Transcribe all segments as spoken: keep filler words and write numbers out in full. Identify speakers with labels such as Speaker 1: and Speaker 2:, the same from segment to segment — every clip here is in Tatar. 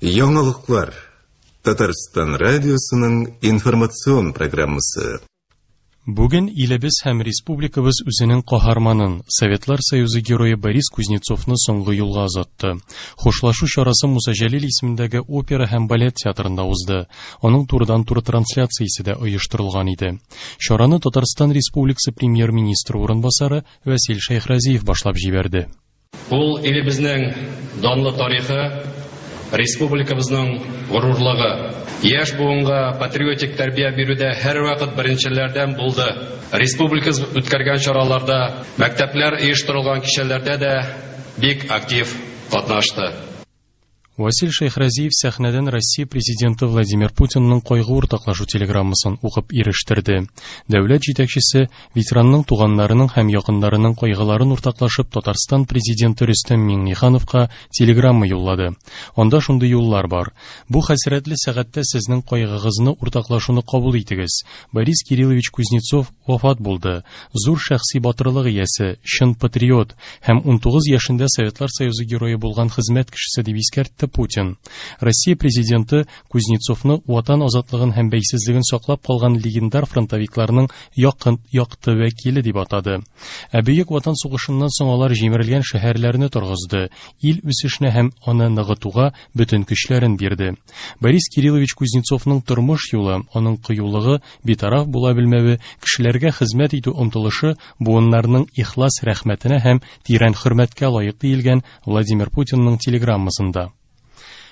Speaker 1: Яңалыклар. Татарстан радиосының информацион программасы.
Speaker 2: Бүген илебез һәм республикабыз үзенең каһарманын, Советлар Союзы герое Борис Кузнецовны соңгы юлга озатты. Хушлашу чарасы Муса Җәлил исемендәге опера һәм балет театрында узды. Аның турыдан-туры трансляциясе дә оештырылган иде. Чараны Татарстан Республикасы премьер-министры урынбасары Вәсил Шәйхразиев башлап җибәрде.
Speaker 3: Ул илебезнең данлы тарихы, республикабызның горурлыгы. Яшь буынга патриотик тәрбия бирүдә һәрвакыт беренчеләрдән булды. Республикабыз үткәргән чараларда, мәктәпләр оештырылган кичәләрдә дә бик актив катнашты.
Speaker 2: Васил Шәйхразиев сәхнәдән Россия президенты Владимир Путинның кайгы уртаклашу телеграммасын укып ирештерде. Дәүләт җитәкчесе ветеранның туганнарының һәм якыннарының кайгыларын уртаклашып Татарстан президенты Рөстәм Миңнехановка телеграмма юллады. Анда шундый юллар бар. Бу хәсрәтле сәгатьтә сезнең кайгыгызны уртаклашуны кабул итегез. Борис Кириллович Кузнецов вафат булды. Зур шәхси батырлык иясе, чын патриот һәм унтугыз яшендә Советлар Союзы герое булган хезмәт кешесе дип искәртте Путин. Россия президенты Кузнецовны ватан азатлыгын һәм бәйсезлеген саклап калган легендар фронтовикларның якын якты вәкиле дип атады. Ә Бөек Ватан сугышыннан соң алар җимерелгән шәһәрләрне торгызды, ил үсешенә һәм аны ныгытуга бөтен көчләрен бирде. Борис Кириллович Кузнецовның тормыш юлы, аның кыюлыгы, битараф була белмәве, кешеләргә хезмәт итү омтылышы буыннарның ихлас рәхмәтенә һәм тирән хөрмәткә лаек диелгән Владимир Путинның телеграммасында.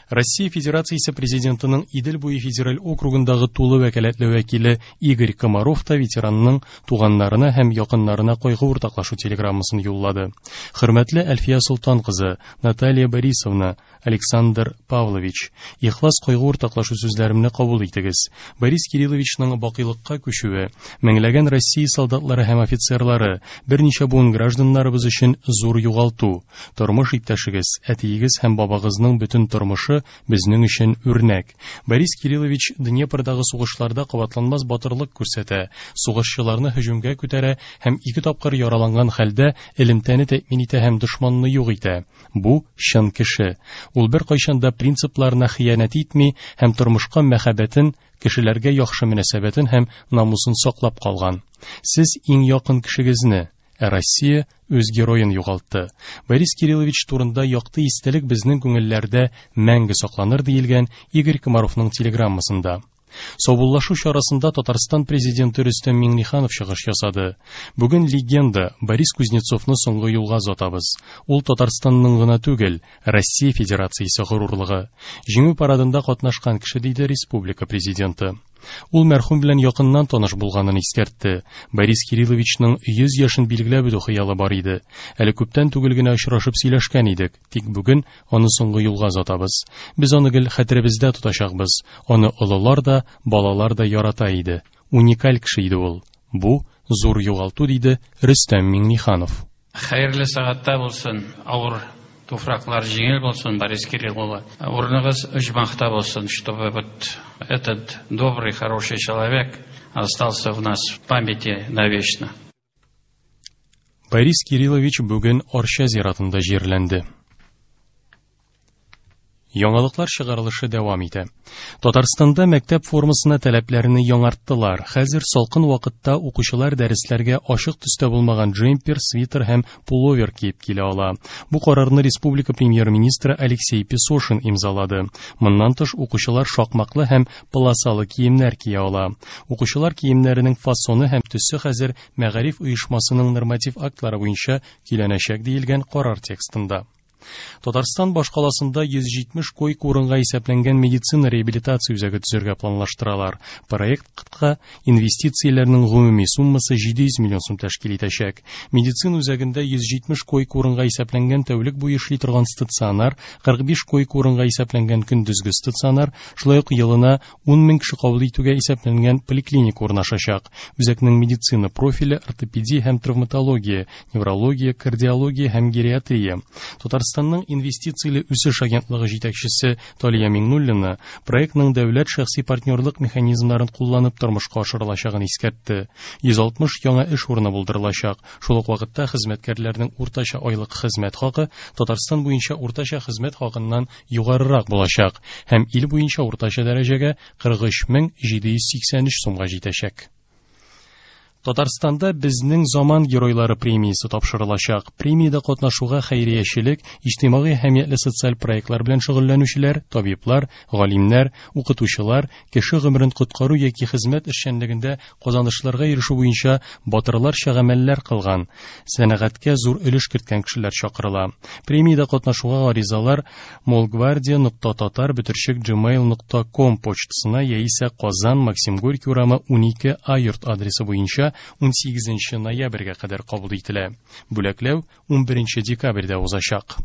Speaker 2: Россия Федерациясе президентының Идел буе федераль округындагы тулы вәкаләтле вәкиле Игорь Комаров та ветеранның туганнарына һәм якыннарына кайгы уртаклашу телеграммасын юллады. Хөрмәтле Әлфия Солтан кызы, Наталья Борисовна, Александр Павлович, ихлас кайгы уртаклашу сүзләремне кабул итегез. Борис Кирилловичның бакыйлыкка күчүе, меңләгән Россия солдатлары һәм офицерлары, берничә буын гражданнарыбыз өчен зур югалту. Тормыш иптәшегез, әтиегез һәм бабагызның бөтен тормышы безнең өчен үрнәк. Борис Кириллович Днепрдагы сугышларда кабатланмас батырлык күрсәтә, сугышчыларны һөҗүмгә күтәрә һәм ике тапкыр яраланган хәлдә элемтәне тәэмин итә һәм дошманны юк итә. Бу чын кеше. Ул бер кайчан да принципларына хыянәт итми һәм тормышка мәхәббәтен, кешеләргә яхшы мөнәсәбәтен һәм намусын саклап калган. Сез иң якын кешегезне, ә Россия үз героен югалтты. Борис Кириллович турында якты истәлек безнең күңелләрдә мәңге сакланыр диелгән Игорь Комаровның телеграммасында. Саубуллашу чарасында Татарстан президенты Рөстәм Миңнеханов чыгыш ясады. Бүген легенда Борис Кузнецовны соңгы юлга озатабыз. Ул Татарстанның гына түгел, Россия Федерациясе горурлыгы. Җиңү парадында катнашкан кеше, диде республика президенты. Ул мәрхүм белән якыннан таныш булганын искәртте. Борис Кирилловичның йөз яшен билгеләп үтү хыялы бар иде. Әле күптән түгел генә очрашып сөйләшкән идек, тик бүген аны соңгы юлга озатабыз. Без аны гел хәтеребездә тотачакбыз. Аны олылар да, балалар да ярата иде. Уникаль кеше иде ул. Бу зур югалту, диде Рөстәм Миңнеханов.
Speaker 4: Хәерле сәгатьтә булсын, авыр туфраклар җиңел булсын, Борис Кириллович. Урыныгыз оҗмахта булсын, чтобы вот этот добрый, хороший человек остался в нас в памяти навечно.
Speaker 2: Борис Кириллович бүген Арча зиратында җирләнде. Яңалыклар чыгарылышы дәвам итә. Татарстанда мәктәп формасына таләпләрне яңарттылар. Хәзер салкын вакытта укучылар дәресләргә ачык төстә булмаган джемпер, свитер һәм пуловер киеп килә ала. Бу карарны республика премьер-министры Алексей Песошин имзалады. Моннан тыш укучылар шакмаклы һәм полосалы киемнәр кия ала. Укучылар киемнәренең фасоны һәм төсе хәзер мәгариф оешмасының норматив актлары буенча көйләнәчәк диелгән карар текстында. Татарстан башкаласында йөз җитмеш койка урынга исәпләнгән медицина реабилитация үзәге төзергә планлаштыралар. Проектка инвестицияләрнең гомуми суммасы җиде йөз миллион сум тәшкил итәчәк. Медицина үзәгендә йөз җитмеш койка урынга исәпләнгән тәүлек буе эшли торган стационар, кырык биш койка урынга исәпләнгән көндезге стационар, шулай ук елына ун мең кеше кабул итүгә исәпләнгән поликлиника урнашачак. Үзәкнең медицина профиле ортопедия һәм травматология, неврология, кардиология һәм гериатрия. Татарстан Татарстанның инвестицияле үсеш агентлыгы җитәкчесе Талия Миңнуллина проектның дәүләт шәхси партнерлык механизмнарын кулланып тормышка ашырылачагын искәртте. йөз алтмыш яңа эш урыны булдырылачак. Шул ук вакытта хезмәткәрләрнең уртача айлык хезмәт хакы Татарстан буенча уртача хезмәт хакыннан югарырак булачак һәм ил буенча уртача дәрәҗәгә кырык өч мең җиде йөз сиксән өч сумга җитәчәк. Татарстанда Безнең заман геройлары премиясе тапшырылачак. Премиядә катнашуга хәйриячелек, иҗтимагый әһәмиятле социаль проектлар белән шөгыльләнүчеләр, табиблар, галимнәр, укытучылар, кеше гомерен коткару яки хезмәт эшчәнлегендә казанышларга ирешү буенча батырларча гамәлләр кылган, сәнәгатькә зур өлеш керткән кешеләр чакырыла. Премиядә катнашуга гаризалар молгвардия нокта татар бөтерчек gmail нокта ком почтасына яисә Казан Максим Горький урамы унике А йорт адресы буенча унсигезенче ноябрьгә кадәр кабул ителә. Бүләкләү унберенче декабрьдә узачак.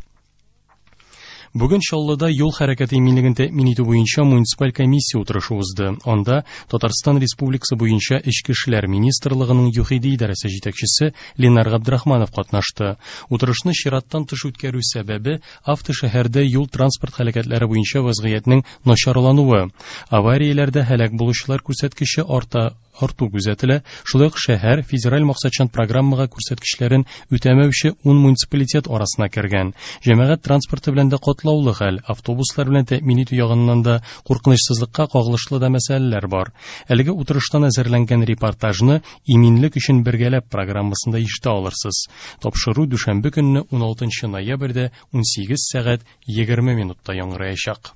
Speaker 2: Бүген Чаллыда юл хәрәкәте иминлеген тәэмин итү буенча муниципаль комиссия утырышы узды. Анда Татарстан Республикасы буенча Эчке эшләр министрлыгының ЮХИДИ идарәсе җитәкчесе Ленар Габдрахманов катнашты. Утырышны чираттан тыш үткәрү сәбәбе автошәһәрдә юл транспорт һәлакәтләре буенча вазгыятьнең начарлануы. Аварияләрдә һәлак булучылар күрсәткече арта арту күзәтелә. Шулай ук шәһәр федераль максатчан программага күрсәткечләрен үтәмәүче ун муниципалитет арасына кергән. Җәмәгать транспорты белән дә катлаулы хәл, автобуслар белән тәэмин итү ягыннан да куркынычсызлыкка кагылышлы да мәсьәләләр бар. Әлеге утырыштан әзерләнгән репортажны Иминлек өчен бергәләп программасында ишетә алырсыз. Тапшыру дүшәмбе көнне уналтынчы ноябрьдә унсигез сәгать егерме минутта яңгыраячак.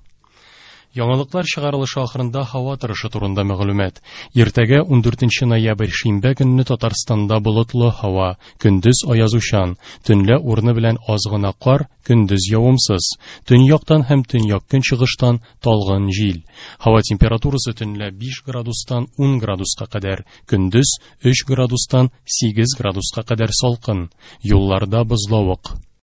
Speaker 2: Яңалыклар чыгарылышы ахырында һава торышы турында мәгълүмат. Иртәгә ундүртенче ноябрь шимбә көнне Татарстанда болытлы һава, көндез аязучан, төнлә урыны белән аз гына кар, көндез явымсыз. Төньяктан һәм төньяк көнчыгыштан талгын җил. Һава температурасы төнлә биш градустан ун градуска кадәр, көндез өч градустан сигез градуска кадәр салкын. Юлларда бозлавык.